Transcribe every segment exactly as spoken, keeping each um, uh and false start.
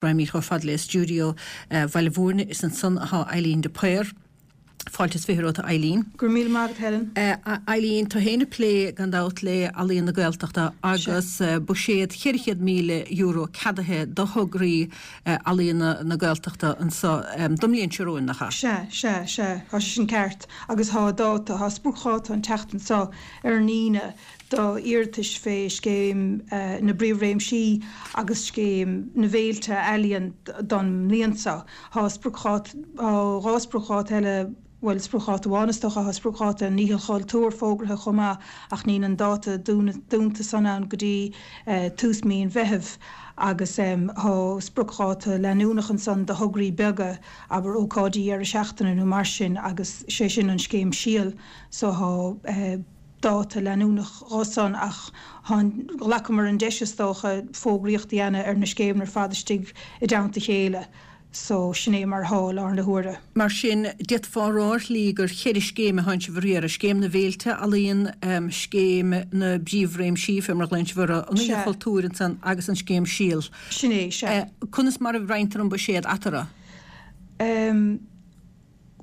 Raghaimid chomh fada le stiúideo Bhaile Mhúirne is ansan atá Eileen de Paor. Fáilte is fiche romhat a Eileen. Go raibh míle maith agat Helen. Eileen, tú féin ag plé gan dabht le Ealaíon na Gaeltachta agus buiséad cheithre chéad míle euro ceadaithe do thograí Ealaíon na Gaeltachta anseo don mbliain seo romhainn, nach ea? Sea, sea, sea, tá sé sin ceart agus tá dáta, tá spriocdháta an tseachtain seo ar an Aoine do iarratais fé Scéim na bPríomhréimsí agus Scéim na bhFéilte Ealaíon don mbliain seo. Tá spriocdháta, tá dhá spriocdháta eile, bhuel, spriocdháta amháin is dócha, tá spriocdháta an Oíche Chultúir fógraithe chomh maith ach níl an dáta dúnta san ann go dtí tús mí an Mheithimh agus tá spriocdháta leanúnach ansan do thograí beaga, abair ócáidí deireadh seachtaine nó mar sin agus sé sin an scéim Síol so tá dáta leanúnach dhó san ach ghlacamar an deis is dócha fógraíocht a dhéanamh ar na scéimeanna ar fad istigh i dteannta a chéile so sin é mar atá i láthair na huaire. Mar sin, d'fhéadfá a rá ar shlí gur cheithre scéim atá sibh a riaradh, Scéim na bhFéilte Ealaíon, Scéim na bPríomhréimsí, fé mar a ghlaonn sibh orthu, an Oíche Chultúir ansan agus an Scéim Síol. Sin é, sea. Conas mar a roinntear an buiséad eatarthu?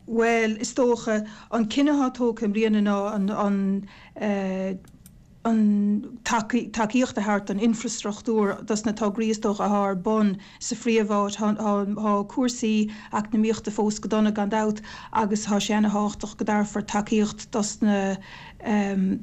Bhuel, is dócha, an cinneadh atá tógtha i mbliana ná an, an, an tacaíocht a thabhairt don infreastruchtúr dos na tograí is dócha atá ar bun sa phríomháit. Tá cúrsaí eacnamaíochta fós go dona gan dabht agus tá sé ana-thábhachtach go dtabharfar tacaíocht dos na,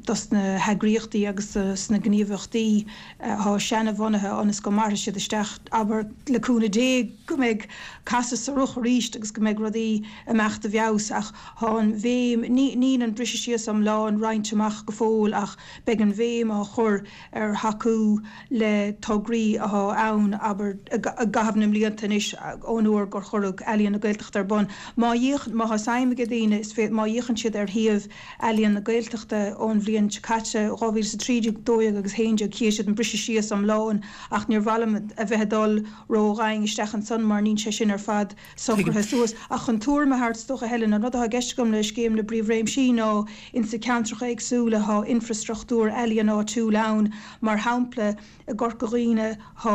dos na heagraíochtaí agus dos na gníomhaíochtaí atá seana-bhunaithe ionas go mairfidh siad isteach, abair, le cúnamh Dé, go mbeidh casadh sa roth arís agus go mbeidh rudaí ag imeacht i bhfeabhas. Ach tá an bhéim, níl an briseadh síos iomlán roinnte amach go fóill ach beidh an bhéim á chur ar thacú le tograí atá ann, abair, i gcaitheamh na mblianta anois ón uair gur cuireadh Ealaíon na Gaeltachta ar bun. Má fhéachann, má tá suim ag daoine, is féidir, má fhéachann siad ar shuíomh Ealaíon na Gaeltachta ón bhliain seo caite, dhá mhíle is a trí déag, dó dhéag agus a haon déag, chífidh siad an briseadh síos iomlán ach níor mhaith liom a bheith ag dul ró-dhoimhin isteach ansan mar níl sé sin ar fad socraithe suas. Ach chun tuairim a thabhairt, is dócha, Helen, an rud atá i gceist agam le Scéim na bPríomhréimsí ná insa ceantracha éagsúla thá infreastruchtúr ealaíon áitiúil ann, mar shampla i gCorca Dhuibhne thá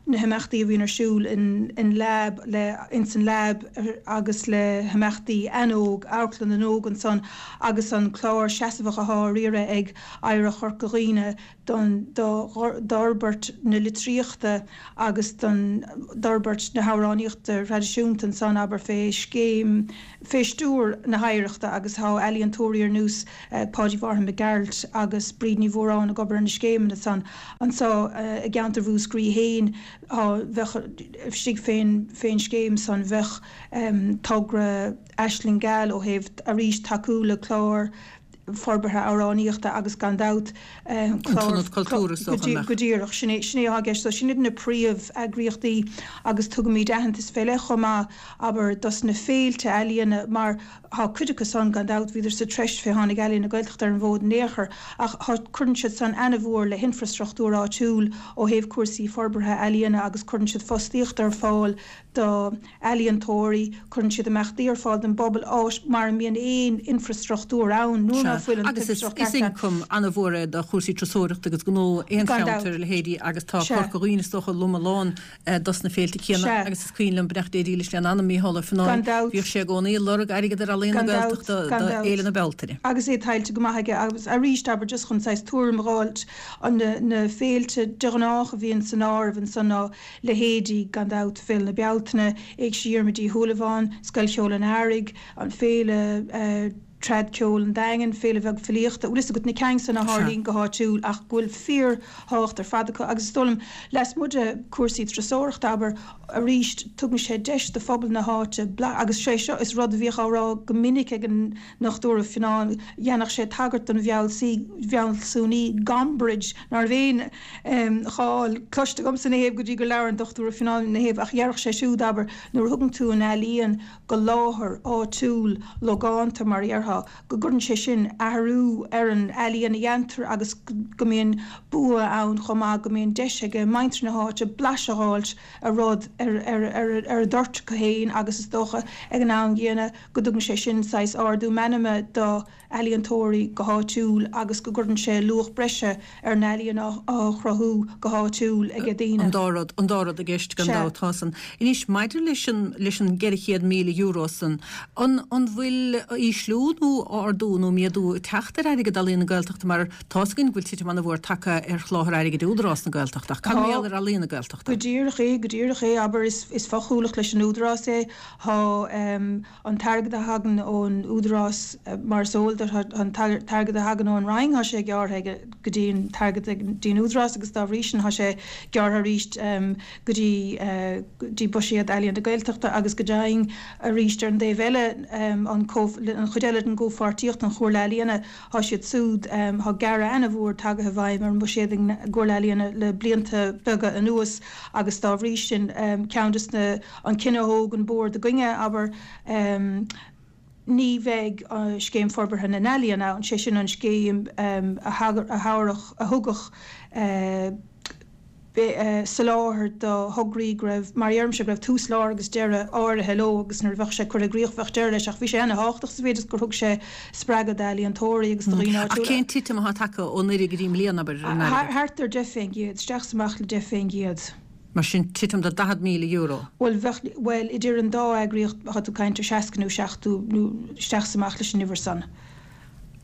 na himeachtaí a bhíonn ar siúl in Lab le ins an Lab agus le himeachtaí AnÓg, Amharclann na nÓg ansan agus an clár seasamhach athá á riaradh ag Oidhreacht Chorca Dhuibhne don d'fhorbairt na litríochta agus don d'fhorbairt na hamhránaíochta thraidisiúnta ansan, abair, fé scéim, fé stiúir na hOidhreachta agus thá ealaíontóirí ar nós Páidí Mhárthain Mac Gearailt agus Bríd Ní Mhóráin ag obair ar na scéimeanna san. Anso i gceantar Mhúscraí fhéin thá, bheadh, istigh fén, fén scéim san bheadh togra Aisling Gheal ó thaobh arís tacú le clár forbartha amhránaíochta agus gan dabht An clár tIonad Cultúir is dócha, an mbeadh? Go díreach, sin é, sin é atá i gceist. So sin iad na príomh-eagraíochtaí agus tugaimid aitheantas fé leith chomh maith, abair, dos na féilte ealaíona mar thá cuid acu san gan dabht, bhíodar sa treis fé tháinig Ealaíon na Gaeltachta ar an bhfód in aon chor ach thá, cuireann siad san ana-mhór le hinfreastruchtúr áitiúil ó thaobh cúrsaí forbartha ealaíona agus cuireann siad fostaíocht ar fáil do ealaíontóirí, cuireann siad imeachtaí ar fáil don bpobal, áit mara mbíonn aon infreastruchtúr ann, nuair ná Sea, fuil an agus is t-infreastruchtúr is ceart ann. ioncam an-mhór é do chúrsaí turasóireachta agus gnó aon Gan cheantair dabht. a leithéidí agus tá Sea. Corca Dhuibhne is dócha lom a lán dos na féilte céanna Sea. agus is cuimhin liom, beannacht Dé dílis lena anam, Mícheál Ó Gan Fionnáin, dabht. bhíodh sé i gcónaí ag lorg airgead ar Ealaíon na Gan dabht, Gaeltachta gan do dabht. Fhéile na Bealtaine. Agus é tuillte go maith aige agus arís, abair, just chun saghas tuairim a dh'fháilt, an na na féilte de ghnách a bhíonn san áireamh ansan ná leithéidí, gan dabht, Féile na Bealtaine, Éigse Dhiarmuid Uí Shúilleabháin, Scoil Cheoil an Earraigh, an Féile Trad Ceoil an Daingin, Féile Bheag Filíochta, bhfuil fhios agat, na cinn san a Sea. tharlaíonn go háitiúil ach go bhfuil fíor-thábhacht ar fad acu agus is dóigh liom, lasmuigh de chúrsaí turasóireachta, abair, arís, tugann sé deis do phobal na háite bla, agus sé seo is rud a bhíodh á rá go minic ag an nDochtúir Ó Fionnáin, dhéanfadh sé tagairt don bhfealsúnaí Gombrich, ná raibh aon cháil cloiste agamsa ina thaobh go dtí gur labhair an Dochtúir Ó Fionnáin ina thaobh, ach dhéarfadh sé siúd, abair, nuair a thugann tú an ealaíon go láthair áitiúil, logánta, mar a dhéarfá, acu, go gcuireann sé sin athrú ar an ealaíon a dhéantar agus go mbíonn bua ann chomh maith, go mbíonn deis ag muintir na háite blaiseadh a fháilt ar rud ar ar a dtoirt acu féin agus is dócha ag an am gcéanna go dtugann sé sin saghas ardú meanma do ealaíontóirí go háitiúil agus go gcuireann sé luach breise ar an ealaíon á chruthú go háitiúil ag daoine. An dá rud, an dá rud i gceist gan dabht, tá san. Anois, maidir leis an, leis an gceithre chéad míle euro san, an, an bhfuil ísliú nó ardú nó méadú ag teacht ar airgead Ealaíon na Gaeltachta mar tá's againn go bhfuil titim an-mhór tagtha ar sholáthar airgid Údarás na Gaeltachta ach cad mar gheall ar Ealaíon na Gaeltachta? Go díreach é, go díreach é, abair, is, is fochuallacht leis an Údarás é. Tá an t-airgead a thagann ón Údarás, mar is eol duit, an t-airgead a thagann ón Roinn, tá sé gearrtha go dtí an t-airgead go dtí an Údarás agus dá bhrí sin tá sé gearrtha arís go dtí go dtí buiséad Ealaíon na Gaeltachta agus go deimhin arís ar an dtaobh eile an an chuid eile den gcomhpháirtíocht, an Chomhairle Ealaíona, tá siad súd, tá gearradh ana-mhór tagaithe i bhfeidhm ar an mbuiséad ag an gComhairle Ealaíona le blianta beaga anuas agus dá bhrí sin ceann des na an cinneadh a thóg an Bord againne, abair, ní bheidh Scéim Forbartha na nEalaíon ann, sé sin an scéim a thabharfadh, a thugadh soláthar do thograí go raibh, mar a deirimse, go raibh tús, lár agus deireadh áirithe leo agus nuair a bheadh sé curtha i gcrích bheadh deireadh leis ach bhí sé ana-thábhachtach sa mhéid is gur thug sé spreagadh d'ealaíontóirí agus do dhaoine áitiúla. Ach cén titim atá tagtha ó anuraidh go dtí i mbliana, abair, ar an airgead? Thart ar deich fén gcéad, isteach is amach le deich fén gcéad. Mar sin, titim de daichead míle euro. Bhuel, bheadh, bhuel, idir an dá eagraíocht, tá tú ag caint ar seasca nó seachtó, nó isteach is amach leis an uimhir san.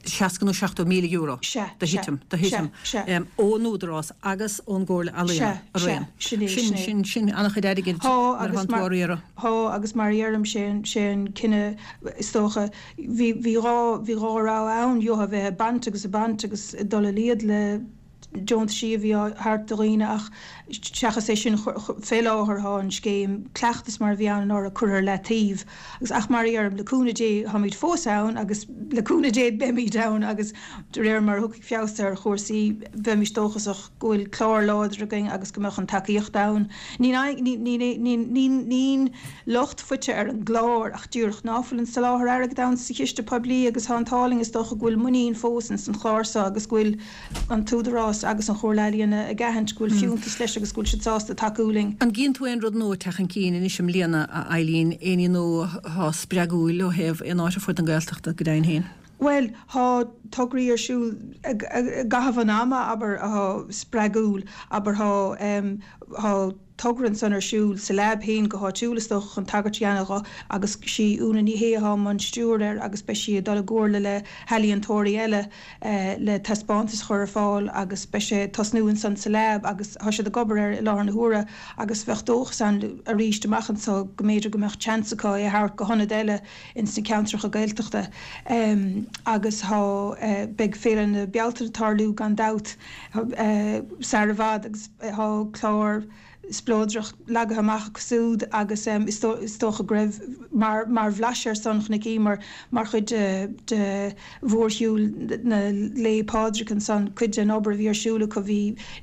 Seasca nó seachtó míle euro Sea, de sea, thitim, de sea, thitim, sea. ón Údarás agus ón gComhairle Ealaíon Sea, sea, araon. sin é, Sin, sin é. sin, sin an-chuid airgid Tá, nuair agus atánn tú mar, á riaradh. tá, agus mar a dheirim, sé an, sé an cinneadh, is dócha, bhí, bhí dhá, bhí dhá rogha ann, gheofá a bheith ag baint agus ag baint agus ag dul i laghad le, deontaisí a bhí á thabhairt do dhaoine ach seachas é sin fé láthair thá an scéim cleachtas mar a bhí ann anuraidh curtha ar leataobh agus ach mar a dheirim le cúnamh Dé tháimid fós ann agus le cúnamh Dé beimid ann agus de réir mar a thiocfaidh feabhas ar chúrsaí bheimis dóchasach go bhfuil clár láidir againn agus go mbeadh an tacaíocht ann. Ní ní locht faighte ar an gclár ach díreach ná fuil an soláthar airgid ann sa chiste poiblí agus thá an t-ádh linn is dócha go bhfuil muinín fós ins an chlár so agus go bhfuil an tÚdarás agus an Chomhairle Ealaíona ag aithint go bhfuil fiúntas leis agus go bhfuil siad sásta tacú linn. An gcíonn tú aon rud nua ag teacht chun cinn anois i mbliana, a Eileen, aon ní nua atá spreagúil ó thaobh aon áit ar fud na Gaeltachta, go deimhin féin? Bhuel, thá tograí ar siúl i gcaitheamh an ama, abair, athá spreagúil, abair, thá, thá togra ansan ar siúl sa Lab féin go háitiúil is dócha chun tagairt a dhéanamh dho agus sí Úna Ní Shé athá i mbun stiúir air agus beidh sí ag dul i gcomhairle le healaíontóirí eile le taispeántas a chur ar fáil agus beidh sé ag tosnú ansan sa Lab agus thá siad ag obair air i láthair na huaire agus bheadh dóchas ann aríst amach anso go mb'fhéidir go mbeadh seans acu é a thabhairt go hionaid eile ins na ceantracha Gaeltachta agus thá beidh Féile na Bealtaine ag tarlú gan dabht sar i bhfad agus thá clár spleodrach leagtha amach acu súd agus is dócha go raibh mar mar bhlaiseadh ar san chonaiceamar mar chuid de de mhórshiúl na Lae Pádraig ansan cuid den obair a bhí ar siúl acu bhí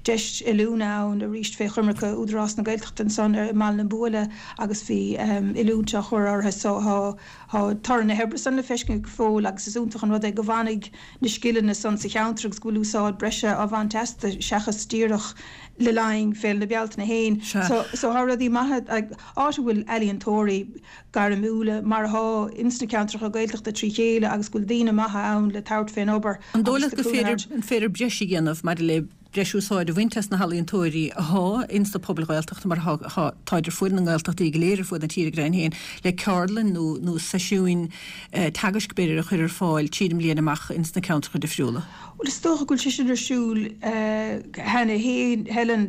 deis oiliúna ann arís fé choimirce Údarás na Gaeltachta ansan i mBaile na Buaile agus bhí oiliúint á chur orthu so thá thá toradh na hoibre san le feiscint go fóill agus is iontach an rud é go bhfanfaidh na scileanna san sa cheantar agus go bhfuil úsáid breise á bhaint astu seachas díreach le linn Féile na Bealtaine féin. Sea. So thá rudaí maithe, áit a bhfuil ealaíontóirí gairmiúla, mar athá ins na ceantracha Gaeltachta trí chéile agus go bhfuil daoine maithe ann le tabhairt fén obair An dóigh agus leat le go cúnamh féidir, a thabhairt. an féidir breis a dhéanamh maidir le breis úsáid a bhaint as na healaíontóirí athá ins na pobail Ghaeltachta mar athá, athá, táid ar fuaid na nGaeltachtaí go léir ar fuaid na tíre go deimhin féin, le ceardlann nó, nó seisiúin teagaisc b'fhéidir a chur ar fáil tríd an mbliain amach ins na ceantracha difriúla? Bhuel, is dócha go bhfuil sé sin ar siúl cheana féin, Helen.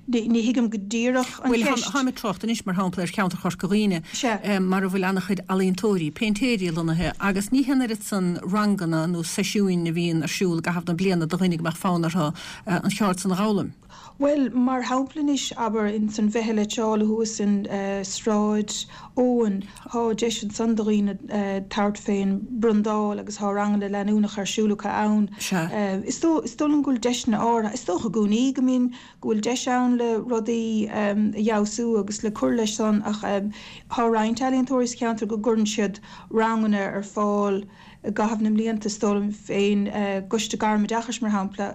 Ní thuigim go díreach an Bhuel, cheist. táim ag trácht anois, mar shampla, ar cheantar Chorca Dhuibhne, Sea. mar a bhfuil an-chuid ealaíontóirí, péintéirí lonnaithe agus ní hé an oiread san ranganna nó seisiúin a bhíonn ar siúl i gcaitheamh na bliana do dhaoine go mbeadh fonn orthu an cheard san a dh'fhoghlaim. Bhuel, mar shampla anois, abair, ins an Mheitheal Eitseála thuas in Sráid Eoin, thá deis ansan do dhaoine tabhairt fén mbrandáil agus thá ranganna leanúnacha ar siúl acu ann. Is dóigh liom go bhfuil deiseanna áirithe, is dócha i gcónaí go mbíonn, go bhfuil deis ann le rudaí a fheabhsú agus le cur leis san ach thá roinnt ealaíontóirí sa cheantar go gcuireann siad ranganna ar fáil i gcaitheamh na mblianta, is dóigh liom féin, i gCoiste Gairmoideachais, mar shampla,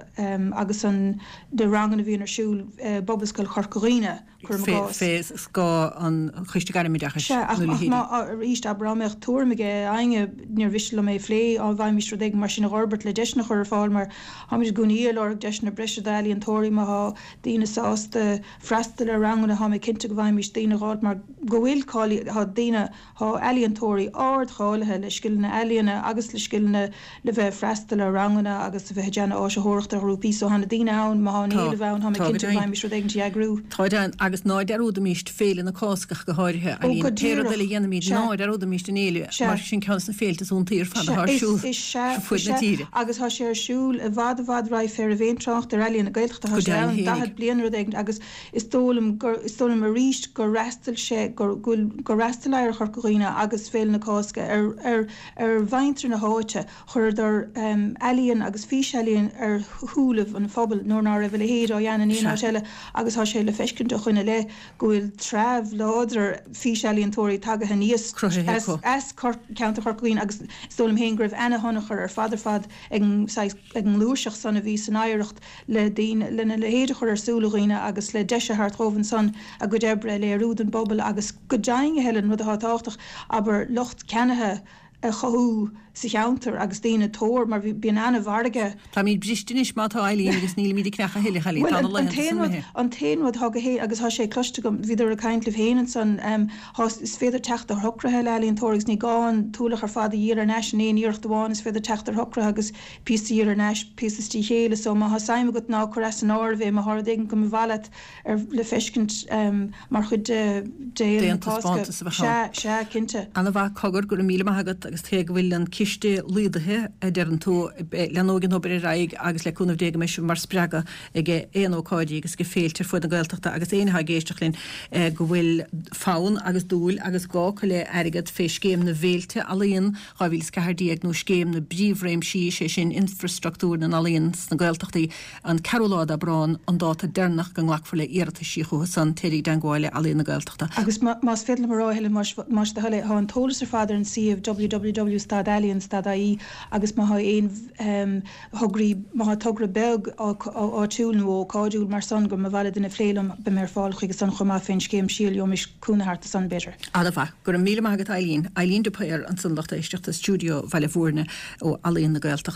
agus an na ranganna a bhíonn ar siúl i bPobalscoil Chorca Dhuibhne, cuirim i gcás. Fé scáth an Choiste Gairmoideachais Sea, ach nó ach leithéidí. má, arís, abair, dá mbeadh tuairim ag éinne, níor mhiste liom é a phlé, dá bhfaighimís rud éigin mar sin a dh'fhorbairt le deiseanna a chur ar fáil, mar táimid i gcónaí ag lorg deiseanna breise d'ealaíontóirí, má thá daoine sásta freastal ar ranganna, thá mé cinnte go bhfaighimís daoine a dh'fháilt mar go bhfuil cáilí, thá daoine, Thá ealaíontóirí ardcháilithe le scileanna ealaíona agus le scileanna le bheith ag freastal ar ranganna agus a bheith ag déanamh áisitheoireachta ar ghrúpaí so thá na daoine ann, má thá an Tá. éileamh ann, thá mé Tá go cinnte go deimhin. bhfaighimís rud éigint a eagrú. Tá deimhin, agus ná dearúdaimíst Féile na Cásca ach go háirithe, Ó, Eileen. go Pé rud díreach. eile a dhéanaimíd, Sea. ná dearúdaimíst an fhéile, Sea. mar sin ceann de na féilte is iontaí ar fad Sea, atá ar is, siúl is sea, ar fuaid is na sea, tíre. agus thá sé ar siúl i bhfad i bhfad roimh fé raibh aon trácht ar Ealaíon na Gaeltachta, thá Go sé deimhin ann fhéinig. daichead bliain nó rud éigin agus is dóigh liom gur, is dóigh liom arís gur fhreastail sé, gur, go bhfuil, gur fhreastail Oidhreacht Chorca Dhuibhne agus Féile na Cásca ar, ar, ar mhuintir na háite. Chuireadar ealaíon agus físealaíon ar shúilibh an phobail nuair ná raibh a leithéid á dhéanamh in aon áit eile agus tá sé le feiscint ó shoin i leith go bhfuil treabh láidir físealaíontóirí tagaithe aníos as, as ceantar Chorca Dhuibhne agus is dóigh liom féin go raibh ana-thionchar ar fad ar fad ag an saghas, ag an ngluaiseacht san a bhí san Oidhreacht le daoine, lena leithéid a chur ar súile dhaoine agus le deis a thabhairt dhóibh ansan a gcuid oibre a léiriú don bpobal agus go deimhin, a Helen, rud atá tábhachtach, abair, lucht ceannaithe a chothú sa cheantar agus daoine tóir, mar bhí, bíonn ana-mhargadh. Táimid briste anois má tá, Eileen, agus nílimid ag creachadh a thuilleadh, Eileen, Bhuel, tá na an laethanta t-aon san rud, imithe. an t-aon rud atá go hé, agus tá sé cloiste agam, bhíodar ag caint libh féin ansan, thá, is féidir teacht ar shocruithe le ealaíontóirí agus ní gá an t-ualach ar fad a dhíol thar n-ais in aon iarracht amháin, is féidir teacht ar shocruithe agus píosa a dhíol thar n-ais, píosa is trí chéile, so má thá suim agat ná cuir as an áireamh é, má thá rud éigin go mba mhaith leat ar le feiscint mar chuid de d'Fhéile na D'aon Cásca. taispeántas a bheadh ann. Sea, sea, cinnte. Ana-mhaith, cogar, go raibh míle maith agat agus cé go bhfuil an ciste laghdaithe, a deireann tú, leanóidh an obair ar aghaidh agus le cúnamh Dé go mbeidh sibh mar spreagadh ag aon ócáidí agus ag féilte ar fud na Gaeltachta agus éinne atá ag éisteacht linn go bhfuil fonn agus dúil agus gá acu le airgead fé Scéim na bhFéilte Ealaíon dhá mhíle is ceathair déag nó Scéim na bPríomhréimsí, sé sin infreastruchtúr na n-ealaíon sna Gaeltachtaí, an ceathrú lá d'Aibreán an dáta deireanach go nglacfar le hiarrataisí chucu san, téir i dteangmháil le Ealaíon na Gaeltachta. Agus más féidir liom a rá, a Helen, más do thoil é, tá an t-eolas ar fad ar an suíomh www stad ealaíon stad ie agus má thá aon thograí, má thá togra beag áitiúil nó ócáidiúil mar san go mba mhaith le duine plé liom, beidh mé ar fáil chuige san chomh maith fén scéim síol, gheobhaimis cúnamh thart san b'fhéidir. Ana-mhaith. Go raibh míle maith agat Eileen. Eileen de Paor ansan lucht éisteachta, Stiúideo Bhaile Bhúirne ó Ealaíon na Gaeltachta.